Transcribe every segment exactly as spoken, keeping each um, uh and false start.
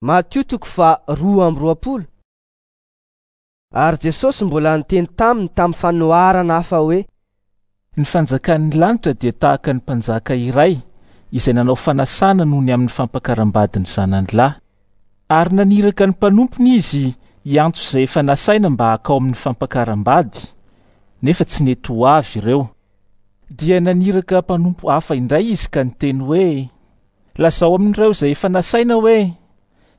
Matio toko faharoa amby roapolo. Ary Jesosy mbola niteny taminy tamin'ny fanoharana hafa hoe: Ny fanjakan'ny lanitra dia tahaka ny mpanjaka iray izay nanao fanasana noho ny amin'ny fampakaram-badiny zanany lahy. Ary naniraka ny mpanompony izy hiantso izay efa nasaina mba hakao amin'ny fampakaram-bady, nefa tsy nety ho avy ireo. Dia naniraka mpanompo hafa indray izy ka niteny hoe: Lazao amin'ireo izay efa nasaina hoe: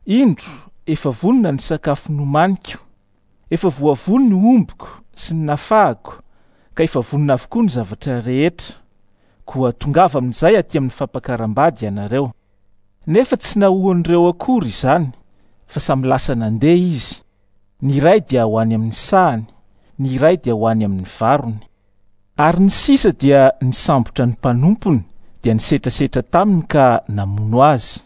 Indro, efa vonona ny sakafo nomaniko, efa voavono ny ombiko sy ny nafahako, ka efa vonona avokoa ny zavatra rehetra. Koa tongava amin'izay aty amin'ny fampakaram-bady ianareo. Nefa tsy nahoan'ireo akory izany, fa samy lasa nandeha izy. Ny iray dia ho any amin'ny sahany, ny iray dia ho any amin'ny varony. Ary ny sisa dia nisambotra ny mpanompony, dia nisetrasetra taminy ka namono azy.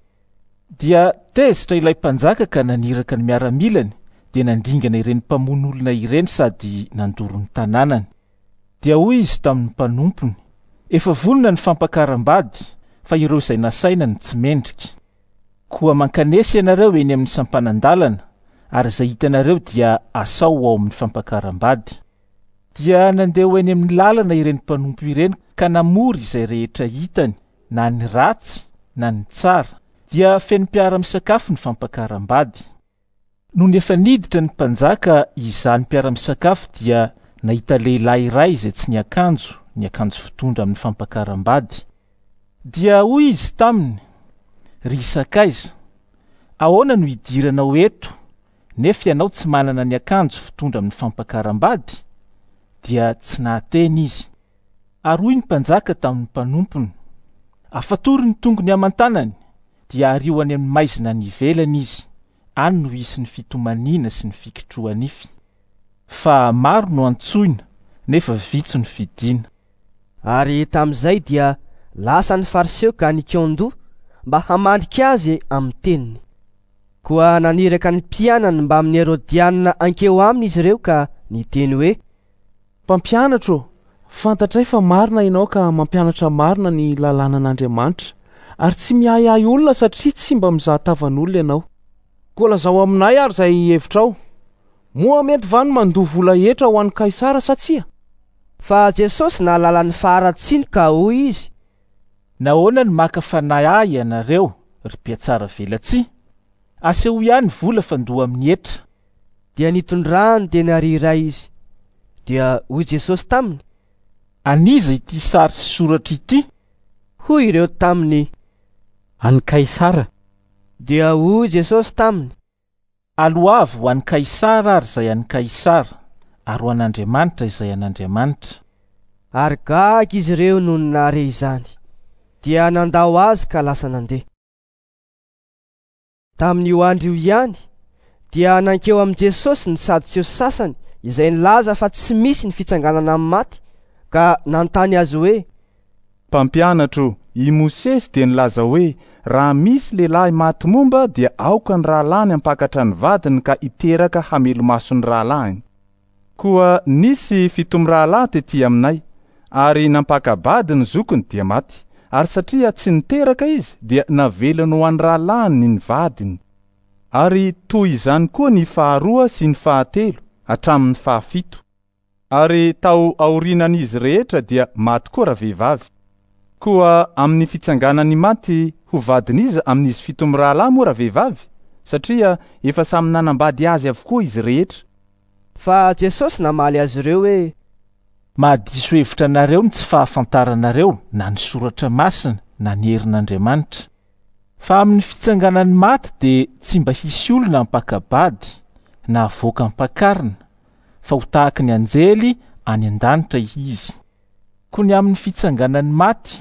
Dia tezitra ilay mpanjaka ka naniraka ny miaramilany, dia nandringana ireny mpamono olona ireny sady nandoro ny tanànany. Dia hoy izy tamin'ny mpanompony: Efa vonona ny fampakaram-bady, fa ireo izay nasaina no tsy mendrika. Koa mankanesa ianareo eny amin'ny sampanan-dalana, ary izay hitanareo dia asao ho ao amin'ny fampakaram-bady. Dia nandeha ho eny amin'ny lalana ireny mpanompo ireny ka namory izay rehetra hitany, na ny ratsy na ny tsara. Dia feno mpiara-misakafo ny fampakaram-bady. Nony efa niditra ny mpanjaka izany mpiara-misakafo dia nahita lehilahy iray izay tsy niakanjo, ny akanjo fitondra amin'ny fampakaram-bady. Dia hoy izy taminy: Ry sakaiza, ahoana no hidiranao eto, nefa ianao tsy manana ny akanjo fitondra amin'ny fampakaram-bady? Dia tsy nahateny izy. Ary hoy ny mpanjaka tamin'ny mpanompony: Afatory ny tongony aman-tanany, dia ario any amin'ny maizina any ivelany izy, any no hisy ny fitomaniana sy ny fikitroha-nify. Fa maro no antsoina, nefa vitsy no fidina. Ary tamin'izay dia lasa ny Fariseo ka nikaon-doha mba hamandrika azy amin'ny teniny. Koa naniraka ny mpianany mbamin'ny Herodianina hankeo aminy izy ireo ka niteny hoe: Mpampianatro, fantatray fa marina ianao ka mampianatra marina ny lalànan'Andriamanitra, ary tsy miahiahy olona satria tsy mba mizaha tavan'olona ianao. Koa lazao aminay ary izay hevitrao. Moa mety va ny mandoa vola hetra ho an'i Kaisara sa tsia? Fa Jesosy nahalala ny faharatsiany ka hoy izy: Nahoana no maka fanahy ahy ianareo, ry mpiatsara velatsihy? Asehoy ihany vola fandoa amin'ny hetra. Dia nitondrany denaria iray izy. Dia hoy Jesosy taminy: An'iza ity sary sy soratra ity? Hoy ireo taminy: An'i Kaisara. Dia hoy Jesosy taminy: Aloavy ho an'i Kaisara ary izay an'i Kaisara, ary ho an'Andriamanitra izay an'Andriamanitra. Ary gaga izy ireo nony nahare izany. Dia nandao azy ka lasa nandeha. Tamin'io andro io ihany dia nankeo amin'i Jesosy ny Sadoseo sasany izay nilaza fa tsy misy ny fitsanganana amin'ny maty, ka nanontany azy hoe: Mpampianatro, i Mosesy dia nilaza hoe raha misy lehilahy maty momba dia aoka ny rahalahiny hampakatra ny vadiny ka hiteraka hamelo-maso ny rahalahiny. Koa nisy fito mirahalahy tety aminay, ary nampaka-bady ny zokiny dia maty, ary satria tsy niteraka izy dia navelany ho an'ny rahalahiny ny vadiny. Ary toy izany koa ny faharoa sy ny fahatelo hatramin'ny fahafito. Ary tao aorianan'izy rehetra dia maty koa ravehivavy. Koa amin'ny fitsanganan'ny maty ho vadin'iza amin'izy fito mirahalahy moa ravehivavy? Satria efa samy nanambady azy avokoa izy rehetra. Fa Jesosy namaly azy ireo hoe: Mahadiso hevitra anareo ny tsy fahafantaranareo na ny soratra masina na ny herin'Andriamanitra. Fa amin'ny fitsanganan'ny maty dia tsy mba hisy olona hampaka-bady na havoaka ampakarina, fa ho tahaka ny anjely any an-danitra izy. Koa ny amin'ny fitsanganan'ny maty,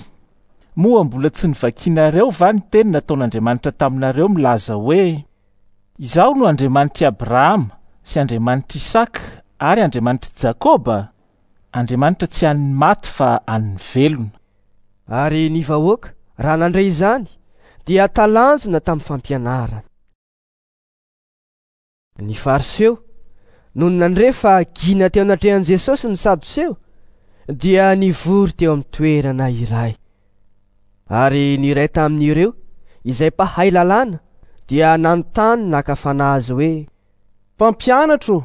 moa mbola tsy novakinareo va ny teny nataon'Andriamanitra taminareo milaza hoe: Izaho no Andriamanitr'i Abrahama sy Andriamanitr'i Isaka ary Andriamanitr'i Jakoba? Andriamanitra tsy an'ny maty fa an'ny velona. Ary ny vahoaka, raha nandre izany, dia talanjona tamin'ny fampianarany. Ny Fariseo, nony nandre fa gina teo anatrehan'i Jesosy ny Sadoseo, dia nivory teo amin'ny toerana iray. Ary ny iray tamin'ireo, izay mpahay lalàna, dia nanontany naka fanahy azy hoe: Mpampianatro,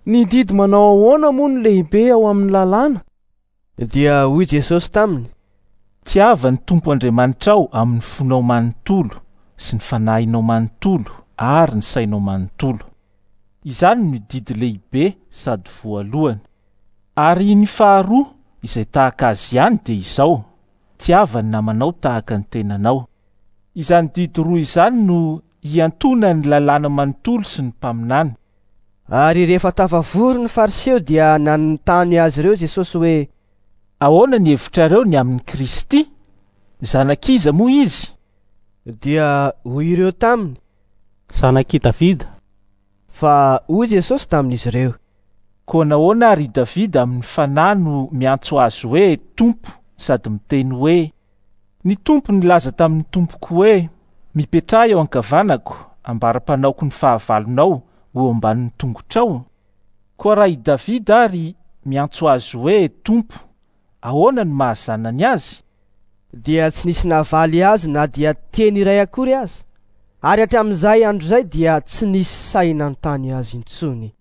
ny didy manao ahoana moa no lehibe ao amin'ny lalàna? Dia hoy Jesosy taminy: Tiava ny Tompo Andriamanitrao amin'ny fonao manontolo sy ny fanahinao manontolo ary ny sainao manontolo. Izany no didy lehibe sady voalohany. Ary ny faharoa izay tahaka azy ihany dia izao: tiava ny namanao tahaka ny tenanao. Izany didy roa izany no iantonan'ny lalàna manontolo sy ny mpaminany. Ary rehefa tafavory ny Fariseo dia nanontany azy ireo Jesosy hoe: Ahoana ny hevitrareo ny amin'i Kristy? Zanak'iza moa izy? Dia hoy ireo taminy: Zanak'i Davida. Fa hoy Jesosy tamin'izy ireo: Koa nahoana ary i Davida amin'ny fanahy no miantso azy hoe Tompo sady miteny hoe: Ny Tompo nilaza tamin'ny tompoko hoe: Mipetraha eo ankavanako, ambara-panaoko ny fahavalonao ho eo ambanin'ny tongotrao. Koa raha i Davida ary miantso azy hoe Tompo, ahoana no mahazanany azy? Dia tsy nisy navaly azy na dia teny iray akory aza. Ary hatramin'izay andro izay dia tsy nisy sahy nanontany azy intsony.